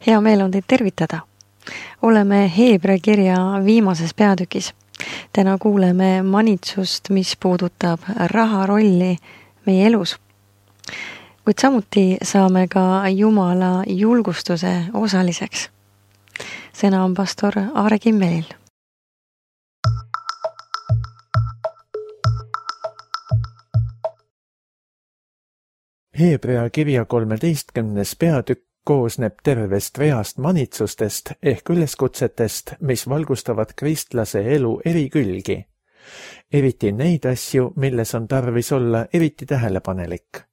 Hea meel on teid tervitada. Oleme Heebrea kirja viimases peatükis. Täna kuuleme manitsust, mis puudutab raha rolli meie elus. Kuid samuti saame ka Jumala julgustuse osaliseks. Sõna on pastor Aare Kimmelil. Heebrea kirja 13. peatükk koosneb tervest reast manitsustest ehk üleskutsetest, mis valgustavad kristlase elu eri külgi. Eriti neid asju, milles on tarvis olla eriti tähelepanelik.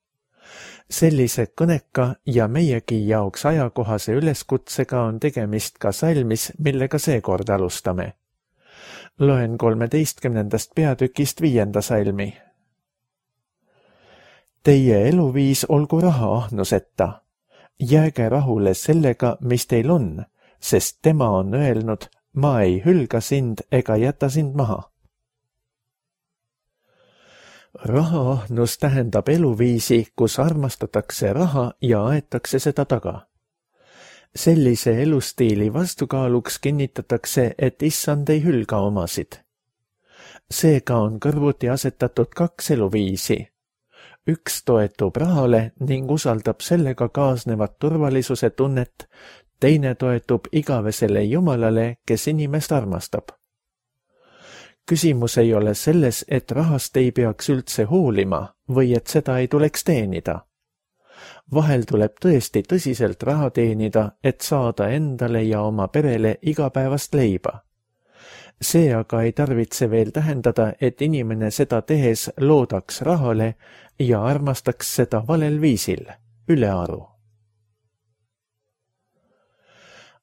Sellise kõneka ja meiegi jaoks ajakohase üleskutsega on tegemist ka salmis, millega seekord alustame. Loen 13. peatükist 5. salmi. Teie eluviis olgu rahaahnuseta. Jääge rahule sellega, mis teil on, sest tema on öelnud, ma ei hülga sind ega jäta sind maha. Rahaahnus tähendab eluviisi, kus armastatakse raha ja aetakse seda taga. Sellise elustiili vastukaaluks kinnitatakse, et issand ei hülga omasid. Seega on kõrvuti asetatud 2 eluviisi. Üks toetub rahale ning usaldab sellega kaasnevat turvalisuse tunnet, teine toetub igavesele Jumalale, kes inimest armastab. Küsimus ei ole selles, et rahast ei peaks üldse hoolima või et seda ei tuleks teenida. Vahel tuleb tõesti tõsiselt raha teenida, et saada endale ja oma perele igapäevast leiba. See aga ei tarvitse veel tähendada, et inimene seda tehes loodaks rahale ja armastaks seda valel viisil, ülearu.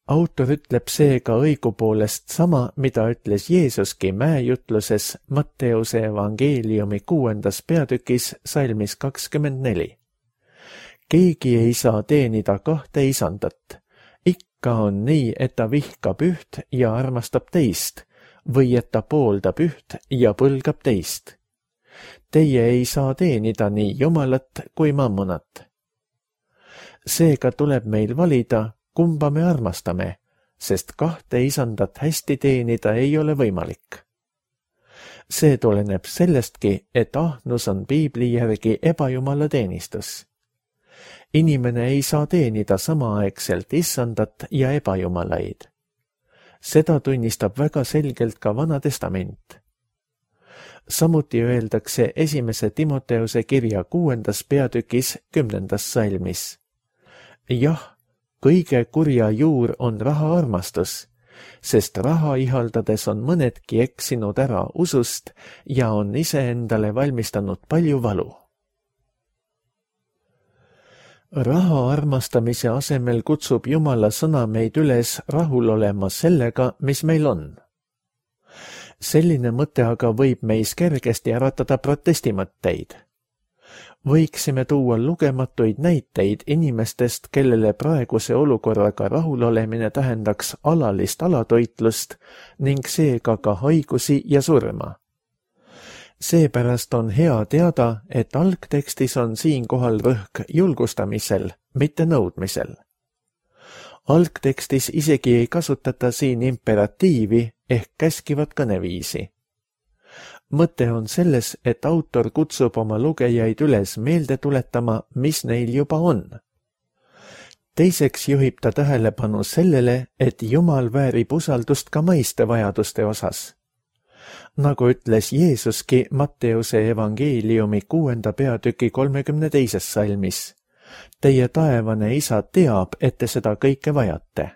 Autor ütleb seega õigupoolest sama, mida ütles Jeesuski mäejutluses Matteuse evangeeliumi 6. peatükis salmis 24. Keegi ei saa teenida 2 isandat. Ikka on nii, et ta vihkab üht ja armastab teist, või et ta pooldab üht ja põlgab teist. Teie ei saa teenida nii Jumalat kui mammonat. Seega tuleb meil valida, kumba me armastame, sest 2 isandat hästi teenida ei ole võimalik. See tuleneb sellestki, et ahnus on Piibli järgi ebajumala teenistus. Inimene ei saa teenida samaaegselt issandat ja ebajumalaid. Seda tunnistab väga selgelt ka Vana Testament. Samuti öeldakse 1. Timoteuse kirja 6. peatükis 10. salmis. Jah, kõige kurja juur on rahaarmastus, sest raha ihaldades on mõnedki eksinud ära usust ja on iseendale valmistanud palju valu. Raha armastamise asemel kutsub Jumala sõna meid üles rahul olema sellega, mis meil on. Selline mõte aga võib meis kergesti äratada protestimõtteid. Võiksime tuua lugematuid näiteid inimestest, kellele praeguse olukorraga rahulolemine tähendaks alalist alatoitlust ning seega ka haigusi ja surma. Seepärast on hea teada, et algtekstis on siinkohal rõhk julgustamisel, mitte nõudmisel. Algtekstis isegi ei kasutata siin imperatiivi ehk käskivat kõneviisi. Mõte on selles, et autor kutsub oma lugejaid üles meelde tuletama, mis neil juba on. Teiseks juhib ta tähelepanu sellele, et Jumal väärib usaldust ka maiste vajaduste osas. Nagu ütles Jeesuski Matteuse evangeeliumi 6. peatüki 32. salmis. Teie taevane isa teab, et te seda kõike vajate.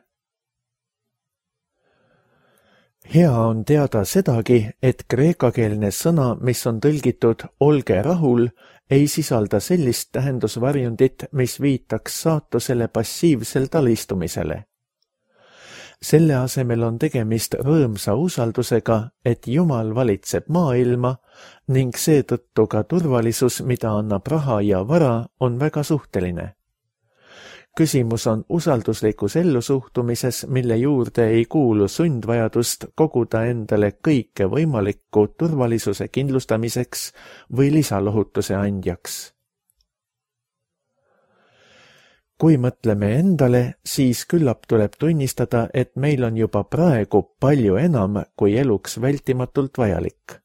Hea on teada sedagi, et kreekakeelne sõna, mis on tõlgitud olge rahul, ei sisalda sellist tähendusvarjundit, mis viitaks saatusele passiivselt alistumisele. Selle asemel on tegemist rõõmsa usaldusega, et Jumal valitseb maailma ning seetõttu ka turvalisus, mida annab raha ja vara, on väga suhteline. Küsimus on usalduslikus ellusuhtumises, mille juurde ei kuulu sundvajadust koguda endale kõike võimalikku turvalisuse kindlustamiseks või lisalohutuse andjaks. Kui mõtleme endale, siis küllap tuleb tunnistada, et meil on juba praegu palju enam kui eluks vältimatult vajalik.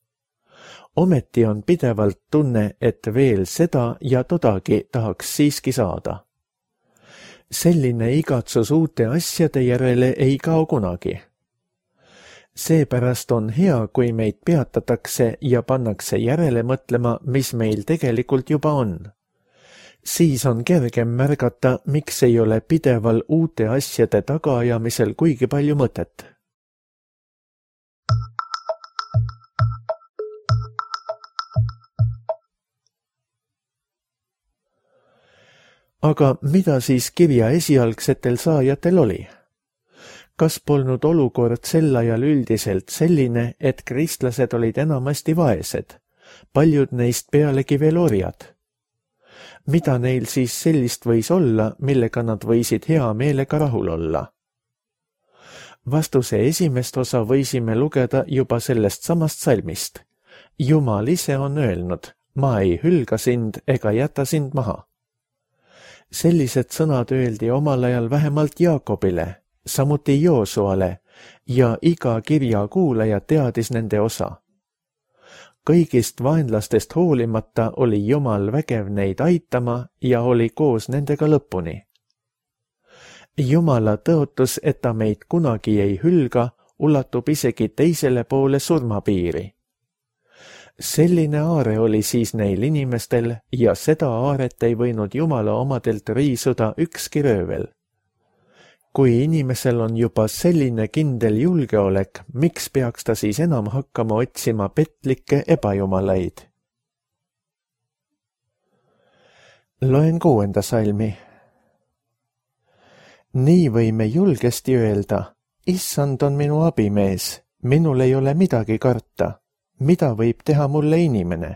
Ometi on pidevalt tunne, et veel seda ja todagi tahaks siiski saada. Selline igatsus uute asjade järele ei kao kunagi. Seepärast on hea, kui meid peatatakse ja pannakse järele mõtlema, mis meil tegelikult juba on. Siis on kergem märgata, miks ei ole pideval uute asjade tagaajamisel kuigi palju mõtet. Aga mida siis kirja esialgsetel saajatel oli? Kas polnud olukord sel ajal üldiselt selline, et kristlased olid enamasti vaesed, paljud neist pealegi veel orjad? Mida neil siis sellist võis olla, millega nad võisid hea meelega rahul olla? Vastuse esimest osa võisime lugeda juba sellest samast salmist. Jumal ise on öelnud, ma ei hülga sind ega jäta sind maha. Sellised sõnad öeldi omal ajal vähemalt Jaakobile, samuti Joosuale ja iga kirja kuulaja teadis nende osa. Kõigist vaenlastest hoolimata oli Jumal vägev neid aitama ja oli koos nendega lõpuni. Jumala tõotus, et ta meid kunagi ei hülga, ulatub isegi teisele poole surmapiiri. Selline aare oli siis neil inimestel ja seda aaret ei võinud Jumala omadelt riisuda ükski röövel. Kui inimesel on juba selline kindel julgeolek, miks peaks ta siis enam hakkama otsima petlikke ebajumalaid? Loen 6. salmi. Nii võime julgesti öelda, Issand on minu abimees, minul ei ole midagi karta. Mida võib teha mulle inimene?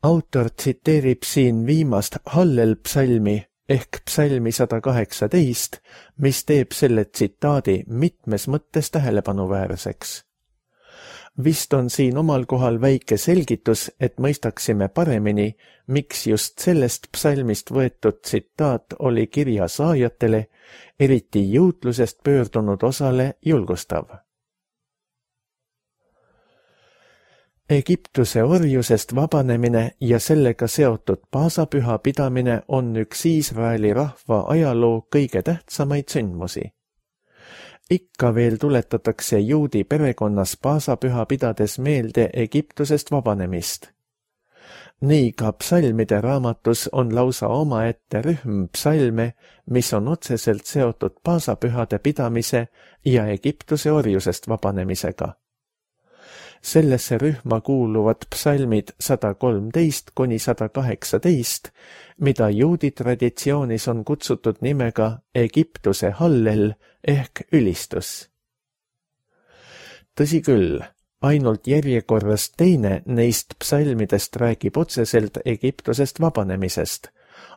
Autor tsiteerib siin viimast Hallel psalmi ehk psalmi 118, mis teeb selle tsitaadi mitmes mõttes tähelepanuväärseks. Vist on siin omal kohal väike selgitus, et mõistaksime paremini, miks just sellest psalmist võetud tsitaat oli kirja saajatele, eriti juutlusest pöördunud osale julgustav. Egiptuse orjusest vabanemine ja sellega seotud paasapüha pidamine on üks Iisraeli rahva ajaloo kõige tähtsamaid sündmusi. Ikka veel tuletatakse juudi perekonnas paasapüha pidades meelde Egiptusest vabanemist. Nii ka psalmide raamatus on lausa omaette rühm psalme, mis on otseselt seotud paasapühade pidamise ja Egiptuse orjusest vabanemisega. Sellesse rühma kuuluvad psalmid 113 kuni 118, mida juudi traditsioonis on kutsutud nimega Egiptuse hallel ehk ülistus. Tõsi küll, ainult järjekorras teine neist psalmidest räägib otseselt Egiptusest vabanemisest,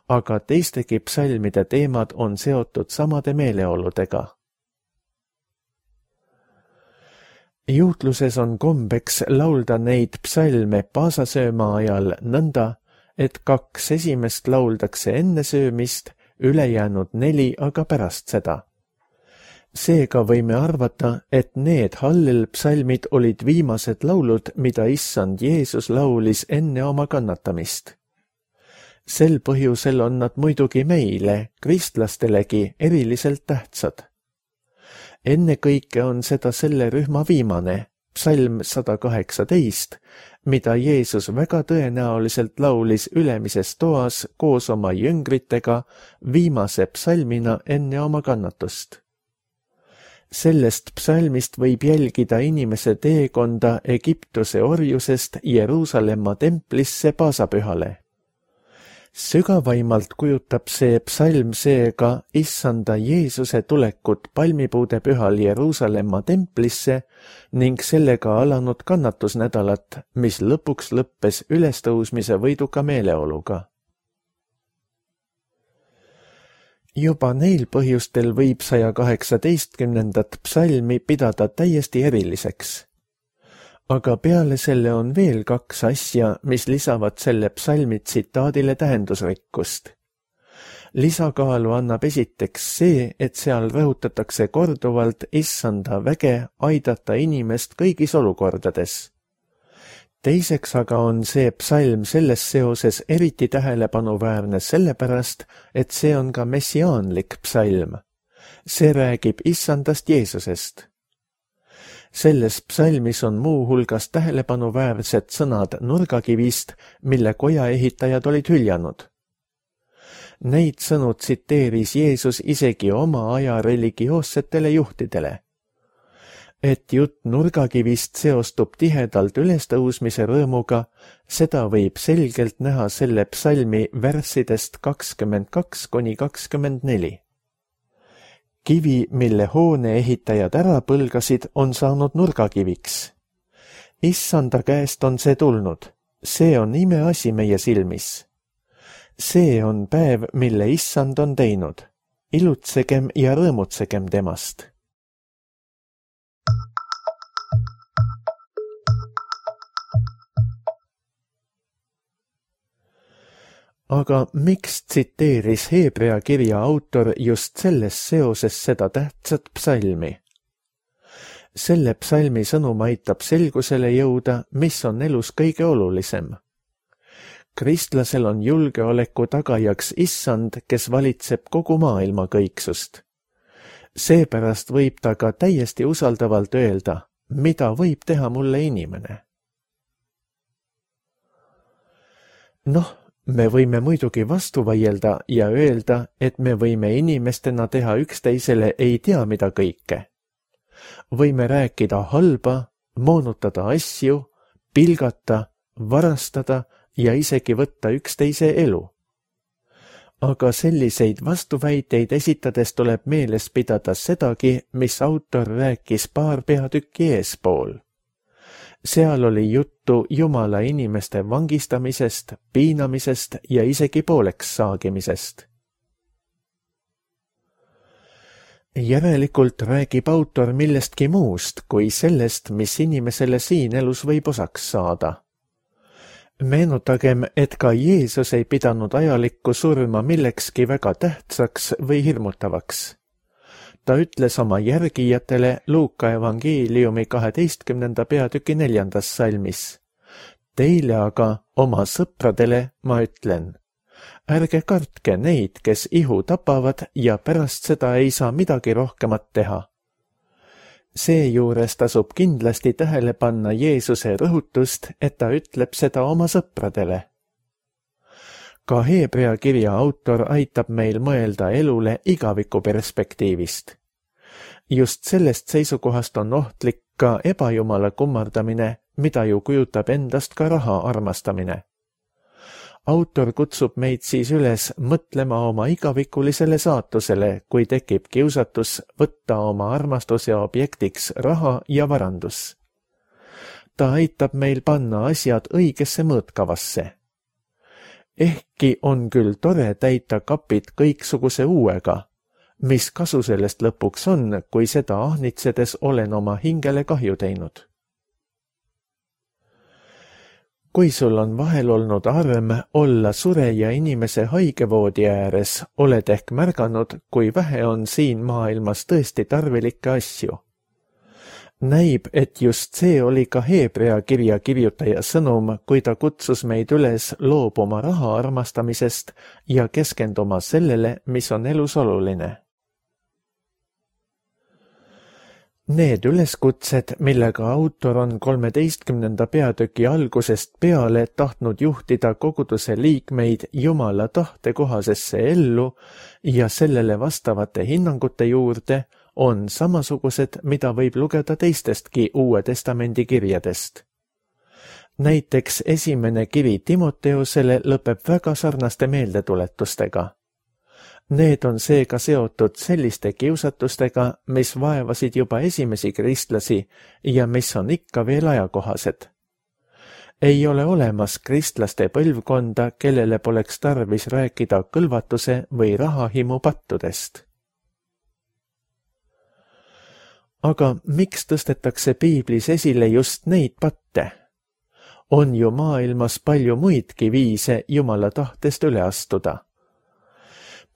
aga teistegi psalmide teemad on seotud samade meeleoludega. Juutluses on kombeks laulda neid psalme paasasööma ajal nõnda, et 2 esimest lauldakse enne söömist, ülejäänud 4 aga pärast seda. Seega võime arvata, et need Hallel psalmid olid viimased laulud, mida Issand Jeesus laulis enne oma kannatamist. Sel põhjusel on nad muidugi meile, kristlastelegi, eriliselt tähtsad. Enne kõike on seda selle rühma viimane, psalm 118, mida Jeesus väga tõenäoliselt laulis ülemises toas koos oma jüngritega viimase psalmina enne oma kannatust. Sellest psalmist võib jälgida inimese teekonda Egiptuse orjusest Jeruusalemma templisse paasapühale. Sügavaimalt kujutab see psalm seega Issanda Jeesuse tulekut palmipuude pühal Jeruusalemma templisse ning sellega alanud kannatusnädalat, mis lõpuks lõppes ülestõusmise võiduka meeleoluga. Juba neil põhjustel võib 118. psalmi pidada täiesti eriliseks. Aga peale selle on veel 2 asja, mis lisavad selle psalmi tsitaadile tähendusrikkust. Lisakaalu annab esiteks see, et seal rõhutatakse korduvalt issanda väge aidata inimest kõigis olukordades. Teiseks aga on see psalm selles seoses eriti tähelepanuväärne sellepärast, et see on ka messiaanlik psalm. See räägib issandast Jeesusest. Selles psalmis on muuhulgas tähelepanuväärsed sõnad nurgakivist, mille koja ehitajad olid hüljanud. Neid sõnu tsiteeris Jeesus isegi oma aja religioossetele juhtidele. Et jutt nurgakivist seostub tihedalt ülestõusmise rõõmuga, seda võib selgelt näha selle psalmi värssidest 22–24. Kivi, mille hoone ehitajad ära põlgasid, on saanud nurgakiviks. Issanda käest on see tulnud. See on imeasi meie silmis. See on päev, mille issand on teinud. Ilutsegem ja rõõmutsegem temast. Aga miks tsiteeris Hebrea kirja autor just selles seoses seda tähtsat psalmi? Selle psalmi sõnum aitab selgusele jõuda, mis on elus kõige olulisem. Kristlasel on julgeoleku tagajaks issand, kes valitseb kogu maailma kõiksust. Seepärast võib ta ka täiesti usaldavalt öelda, mida võib teha mulle inimene. Me võime muidugi vastu vaielda ja öelda, et me võime inimestena teha üksteisele ei tea mida kõike. Võime rääkida halba, moonutada asju, pilgata, varastada ja isegi võtta üksteise elu. Aga selliseid vastuväiteid esitades tuleb meeles pidada sedagi, mis autor rääkis paar peatükki eespool. Seal oli juttu Jumala inimeste vangistamisest, piinamisest ja isegi pooleks saagimisest. Järelikult räägib autor millestki muust kui sellest, mis inimesele siin elus võib osaks saada. Meenutagem, et ka Jeesus ei pidanud ajalikku surma millekski väga tähtsaks või hirmutavaks. Ta ütles oma järgijatele Luuka evangeeliumi 12. peatüki 4. salmis. Teile aga, oma sõpradele, ma ütlen. Ärge kartke neid, kes ihu tapavad ja pärast seda ei saa midagi rohkemat teha. Seejuures tasub kindlasti tähele panna Jeesuse rõhutust, et ta ütleb seda oma sõpradele. Ka Hebrea kirja autor aitab meil mõelda elule igaviku perspektiivist. Just sellest seisukohast on ohtlik ka ebajumala kummardamine, mida ju kujutab endast ka raha armastamine. Autor kutsub meid siis üles mõtlema oma igavikulisele saatusele, kui tekib kiusatus võtta oma armastuse objektiks raha ja varandus. Ta aitab meil panna asjad õigesse mõõtkavasse. Ehkki on küll tore täita kapid kõiksuguse uuega, mis kasu sellest lõpuks on, kui seda ahnitsedes olen oma hingele kahju teinud. Kui sul on vahel olnud arm olla sureja inimese haigevoodi ääres, oled ehk märganud, kui vähe on siin maailmas tõesti tarvilikke asju. Näib, et just see oli ka Hebrea kirja kirjutaja sõnum, kui ta kutsus meid üles loobuma raha armastamisest ja keskenduma sellele, mis on elus oluline. Need üleskutsed, millega autor on 13. peatüki algusest peale tahtnud juhtida koguduse liikmeid Jumala tahtekohasesse ellu ja sellele vastavate hinnangute juurde, on samasugused, mida võib lugeda teistestki Uue Testamendi kirjadest. Näiteks esimene kiri Timoteusele lõpeb väga sarnaste meeldetuletustega. Need on seega seotud selliste kiusatustega, mis vaevasid juba esimesi kristlasi ja mis on ikka veel ajakohased. Ei ole olemas kristlaste põlvkonda, kellele poleks tarvis rääkida kõlvatuse või rahahimu pattudest. Aga miks tõstetakse piiblis esile just neid patte? On ju maailmas palju muidki viise Jumala tahtest üle astuda.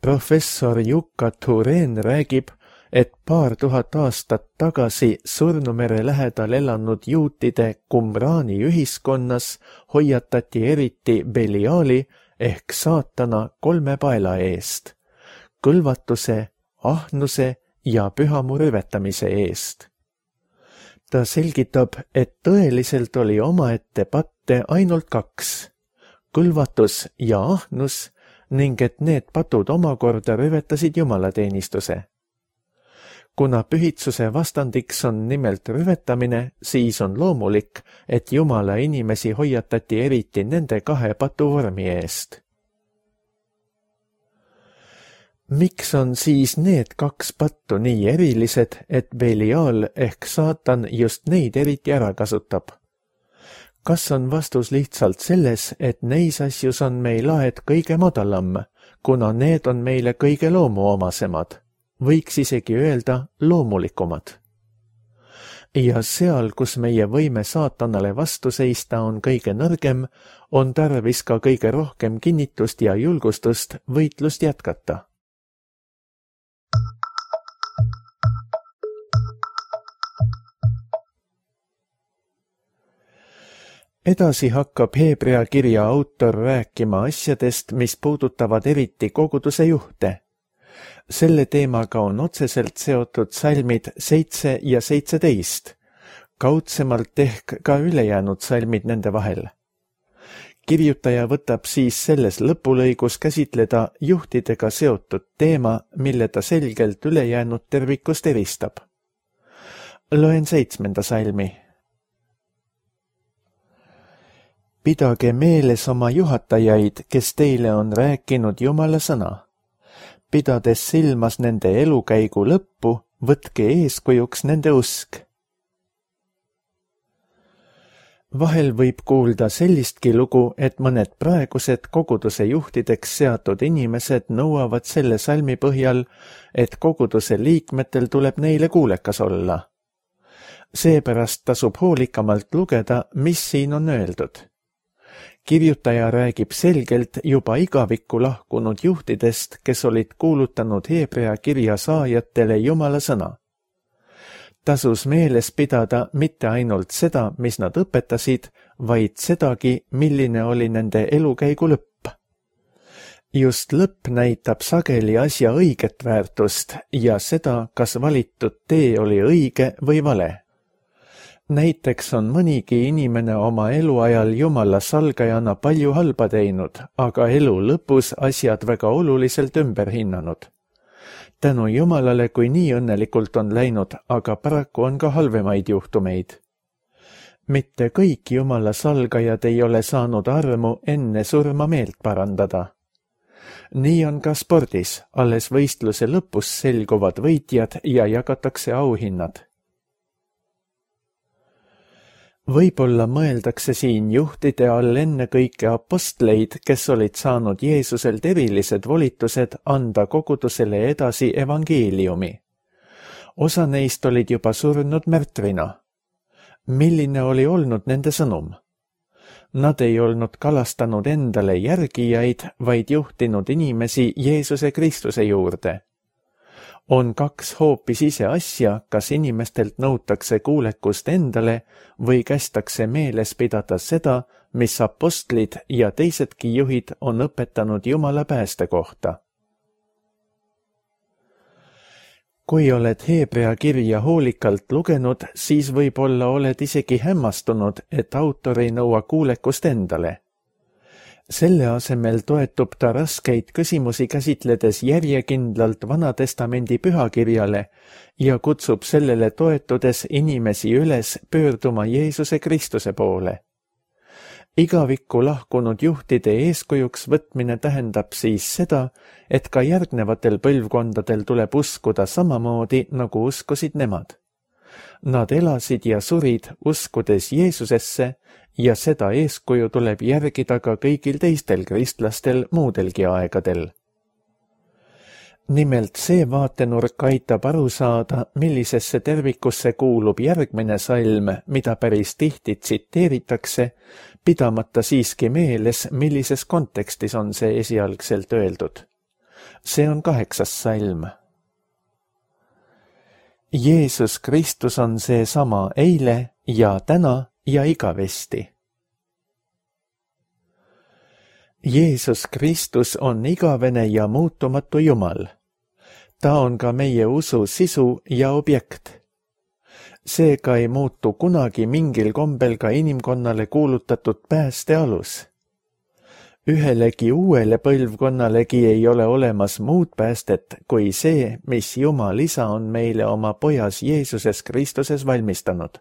Professor Jukka Turen räägib, et paar tuhat aastat tagasi Surnumere lähedal elanud juutide Qumrani ühiskonnas hoiatati eriti Beliali ehk saatana 3 paela eest, kõlvatuse, ahnuse ja pühamu rüvetamise eest. Ta selgitab, et tõeliselt oli omaette patte ainult 2, kõlvatus ja ahnus, ning et need patud omakorda rüvetasid jumalateenistuse. Kuna pühitsuse vastandiks on nimelt rüvetamine, siis on loomulik, et Jumala inimesi hoiatati eriti nende 2 patu vormi eest. Miks on siis need 2 pattu nii erilised, et Belial ehk saatan just neid eriti ära kasutab? Kas on vastus lihtsalt selles, et neis asjus on meil aed kõige madalam, kuna need on meile kõige loomuomasemad, võiks isegi öelda loomulikumad? Ja seal, kus meie võime saatanale vastu seista on kõige nõrgem, on tarvis ka kõige rohkem kinnitust ja julgustust võitlust jätkata. Edasi hakkab Hebrea kirja autor rääkima asjadest, mis puudutavad eriti koguduse juhte. Selle teemaga on otseselt seotud salmid 7 ja 17, kaudsemalt ehk ka ülejäänud salmid nende vahel. Kirjutaja võtab siis selles lõpulõigus käsitleda juhtidega seotud teema, mille ta selgelt ülejäänud tervikust eristab. Loen 7. salmi. Pidage meeles oma juhatajaid, kes teile on rääkinud Jumala sõna. Pidades silmas nende elukäigu lõppu, võtke eeskujuks nende usk. Vahel võib kuulda sellistki lugu, et mõned praegused koguduse juhtideks seatud inimesed nõuavad selle salmi põhjal, et koguduse liikmetel tuleb neile kuulekas olla. Seepärast tasub hoolikamalt lugeda, mis siin on öeldud. Kirjutaja räägib selgelt juba igavikku lahkunud juhtidest, kes olid kuulutanud Hebrea kirja saajatele Jumala sõna. Tasus meeles pidada mitte ainult seda, mis nad õpetasid, vaid sedagi, milline oli nende elukäigu lõpp. Just lõpp näitab sageli asja õiget väärtust ja seda, kas valitud tee oli õige või vale. Näiteks on mõnigi inimene oma eluajal Jumala salgajana palju halba teinud, aga elu lõpus asjad väga oluliselt ümber hinnanud. Tänu Jumalale, kui nii õnnelikult on läinud, aga paraku on ka halvemaid juhtumeid. Mitte kõik Jumala salgajad ei ole saanud armu enne surma meelt parandada. Nii on ka spordis, alles võistluse lõpus selguvad võitjad ja jagatakse auhinnad. Võib-olla mõeldakse siin juhtide all ennekõike apostleid, kes olid saanud Jeesuselt erilised volitused anda kogudusele edasi evangeeliumi. Osa neist olid juba surnud märtrina. Milline oli olnud nende sõnum? Nad ei olnud kalastanud endale järgijaid, vaid juhtinud inimesi Jeesuse Kristuse juurde. On 2 hoopis ise asja, kas inimestelt nõutakse kuulekust endale või kästakse meeles pidada seda, mis apostlid ja teisedki juhid on õpetanud Jumala pääste kohta. Kui oled Hebrea kirja hoolikalt lugenud, siis võib-olla oled isegi hämmastunud, et autor ei nõua kuulekust endale. Selle asemel toetub ta raskeid küsimusi käsitledes järjekindlalt Vanatestamendi pühakirjale ja kutsub sellele toetudes inimesi üles pöörduma Jeesuse Kristuse poole. Igavikku lahkunud juhtide eeskujuks võtmine tähendab siis seda, et ka järgnevatel põlvkondadel tuleb uskuda samamoodi, nagu uskusid nemad. Nad elasid ja surid uskudes Jeesusesse ja seda eeskuju tuleb järgida ka kõigil teistel kristlastel muudelgi aegadel. Nimelt see vaatenurk aitab aru saada, millisesse tervikusse kuulub järgmine salm, mida päris tihti tsiteeritakse, pidamata siiski meeles, millises kontekstis on see esialgselt öeldud. See on 8. salm. Jeesus Kristus on seesama eile ja täna ja igavesti. Jeesus Kristus on igavene ja muutumatu Jumal. Ta on ka meie usu sisu ja objekt. Seega ei muutu kunagi mingil kombel ka inimkonnale kuulutatud pääste alus. Ühelegi uuele põlvkonnalegi ei ole olemas muud päästet kui see, mis Jumal Isa on meile oma pojas Jeesuses Kristuses valmistanud.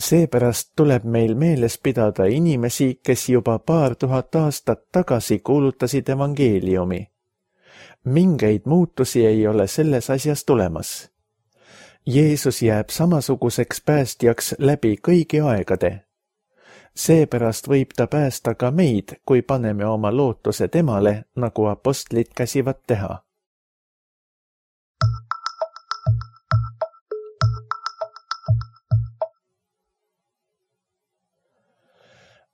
Seepärast tuleb meil meeles pidada inimesi, kes juba 2000 aastat tagasi kuulutasid evangeeliumi. Mingeid muutusi ei ole selles asjas tulemas. Jeesus jääb samasuguseks päästjaks läbi kõigi aegade. Seepärast võib ta päästa ka meid, kui paneme oma lootuse temale, nagu apostlid käsivad teha.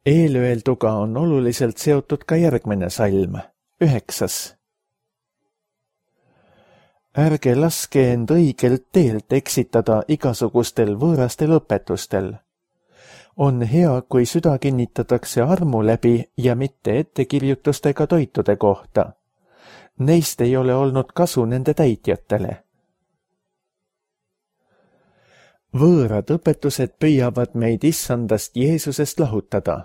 Eelöelduga on oluliselt seotud ka järgmine salm, 9. Ärge laske end õigelt teelt eksitada igasugustel võõrastel õpetustel. On hea, kui süda kinnitatakse armu läbi ja mitte ettekirjutustega toitude kohta. Neist ei ole olnud kasu nende täitjatele. Võõrad õpetused püüavad meid issandast Jeesusest lahutada.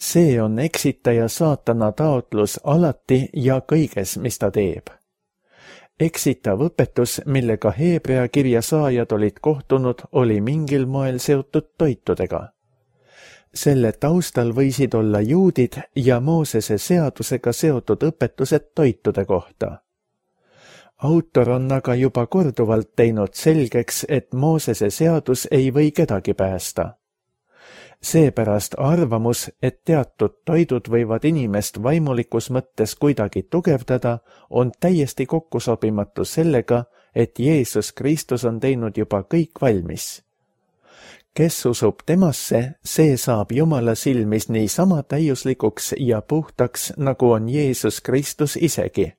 See on eksitaja saatana taotlus alati ja kõiges, mis ta teeb. Eksitav õpetus, millega Hebrea kirja saajad olid kohtunud, oli mingil moel seotud toitudega. Selle taustal võisid olla juudid ja Moosese seadusega seotud õpetused toitude kohta. Autor on aga juba korduvalt teinud selgeks, et Moosese seadus ei või kedagi päästa. Seepärast arvamus, et teatud toidud võivad inimest vaimulikus mõttes kuidagi tugevdada, on täiesti kokkusobimatu sellega, et Jeesus Kristus on teinud juba kõik valmis. Kes usub temasse, see saab Jumala silmis nii sama täiuslikuks ja puhtaks, nagu on Jeesus Kristus isegi.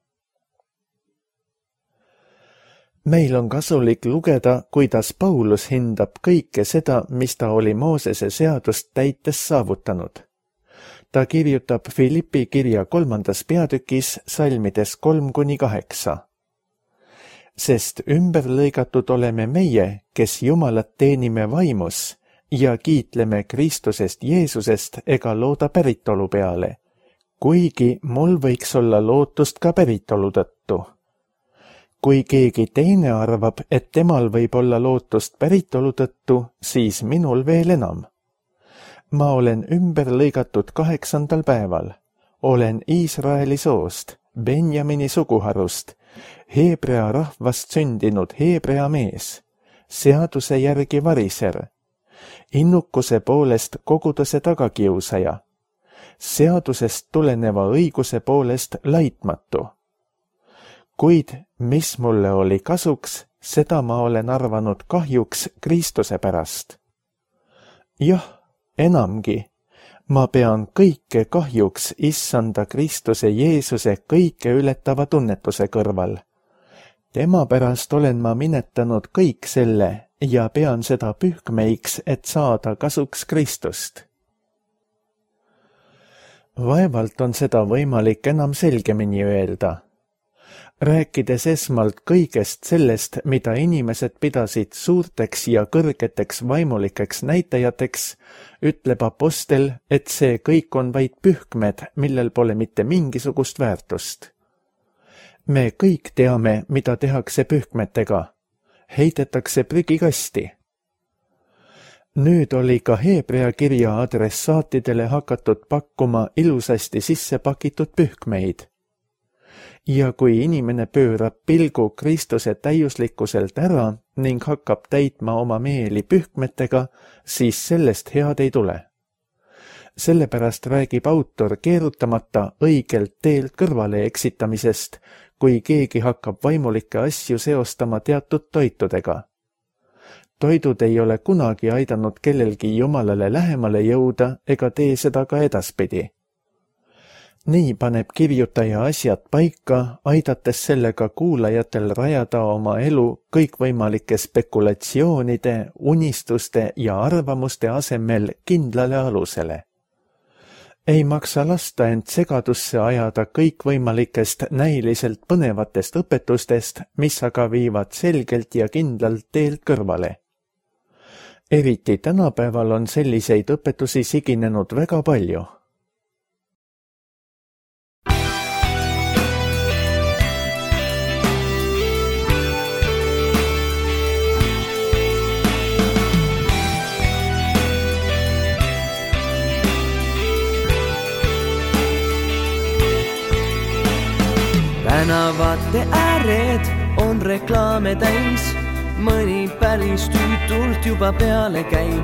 Meil on kasulik lugeda, kuidas Paulus hindab kõike seda, mis ta oli Moosese seadust täites saavutanud. Ta kirjutab Filippi kirja 3. peatükis salmides 3-8. Sest ümberlõigatud oleme meie, kes Jumalat teenime vaimus ja kiitleme Kristusest Jeesusest ega looda päritolu peale, kuigi mul võiks olla lootust ka päritolu tõttu. Kui keegi teine arvab, et temal võib olla lootust päritolu tõttu, siis minul veel enam. Ma olen ümber lõigatud 8. päeval. Olen Iisraeli soost, Benjamini suguharust, Hebrea rahvast sündinud Hebrea mees, seaduse järgi variser, innukuse poolest koguduse tagakiusaja, seadusest tuleneva õiguse poolest laitmatu. Kuid mis mulle oli kasuks, seda ma olen arvanud kahjuks Kristuse pärast. Jah, enamgi, ma pean kõike kahjuks issanda Kristuse Jeesuse kõike ületava tunnetuse kõrval. Tema pärast olen ma minetanud kõik selle ja pean seda pühkmeiks, et saada kasuks Kristust. Vaevalt on seda võimalik enam selgemini öelda. Rääkides esmalt kõigest sellest, mida inimesed pidasid suurteks ja kõrgeteks vaimulikeks näitajateks, ütleb apostel, et see kõik on vaid pühkmed, millel pole mitte mingisugust väärtust. Me kõik teame, mida tehakse pühkmetega. Heidetakse prügikasti. Nüüd oli ka Hebrea kirja adressaatidele hakatud pakkuma ilusasti sisse pakitud pühkmeid. Ja kui inimene pöörab pilgu Kristuse täiuslikkuselt ära ning hakkab täitma oma meeli pühkmetega, siis sellest head ei tule. Sellepärast räägib autor keerutamata õigelt teelt kõrvale eksitamisest, kui keegi hakkab vaimulikke asju seostama teatud toitudega. Toidud ei ole kunagi aidanud kellelgi Jumalale lähemale jõuda ega tee seda ka edaspidi. Nii paneb kirjutaja asjad paika, aidates sellega kuulajatel rajada oma elu kõikvõimalike spekulatsioonide, unistuste ja arvamuste asemel kindlale alusele. Ei maksa lasta end segadusse ajada kõikvõimalikest näiliselt põnevatest õpetustest, mis aga viivad selgelt ja kindlalt teelt kõrvale. Eriti tänapäeval on selliseid õpetusi siginenud väga palju. Tänavate ääred on reklaame täis, mõni päris tüütult juba peale käib.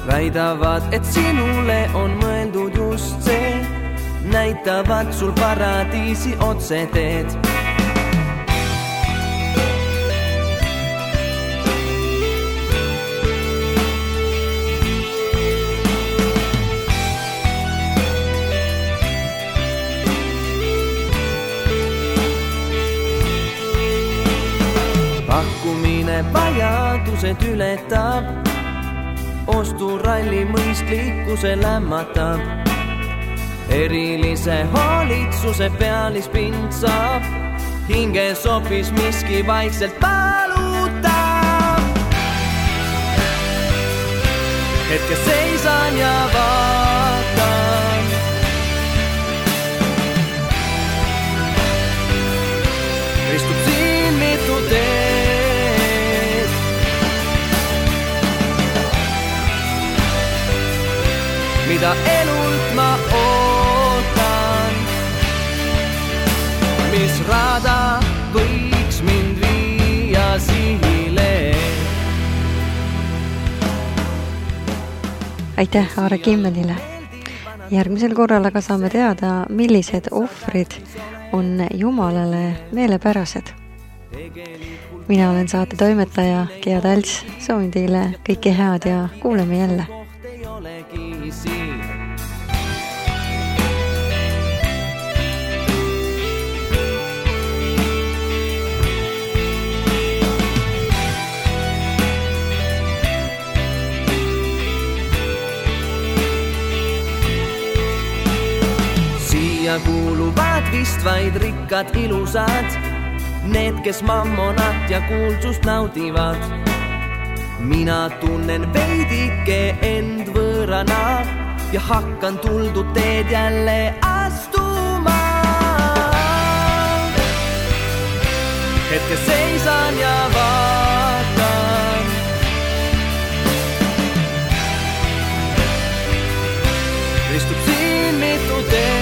Väidavad, et sinule on mõeldud just see, näitavad sul paradiisi otseteed. Pakkumine vajadused ületab, osturalli mõistlikkuse lämmatab. Erilise hoolitsuse pealispind saab, hinges hoopis miski vaikselt valutab. Hetke seisan ja vaatan, istub siin mitu teed. Mida elult ma ootan, mis rada võiks mind viia sihile. Aitäh Aare Kimmelile. Järgmisel korral aga saame teada, millised ohvrid on Jumalale meelepärased. Mina olen saate toimetaja Gea Talts, soovin teile kõike head ja kuuleme jälle. Siia kuuluvad vist vaid rikkad ilusad, need, kes mammonat ja kuulsust naudivad. Mina tunnen veidike end võõrana ja hakkan tuldud teed jälle astuma. Hetke seisan ja vaatan, istub siin mitu teed.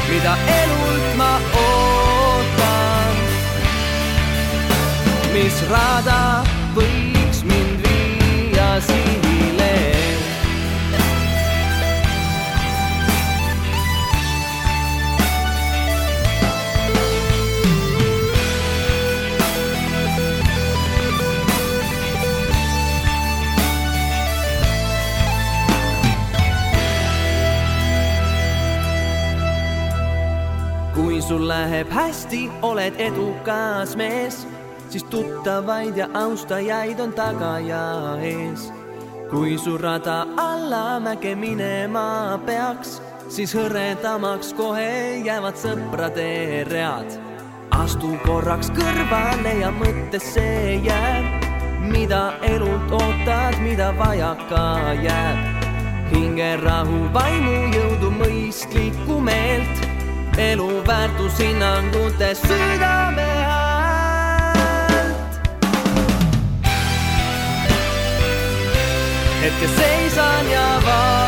Mida elult ma ootan, mis rada võiks mind viia sihile. Kui sul läheb hästi, oled edukas mees, siis tuttavaid ja austajaid on taga ja ees. Kui su rada allamäge minema peaks, siis hõredamaks kohe jäävad sõprade read. Astu korraks kõrvale ja mõttesse jääb, mida elult ootad, mida vajaka jääb. Hingerahu, vaimu jõudu, mõistlikku meelt, elu väärtushinnangutes südame häält. Hetke seisan ja vaatan,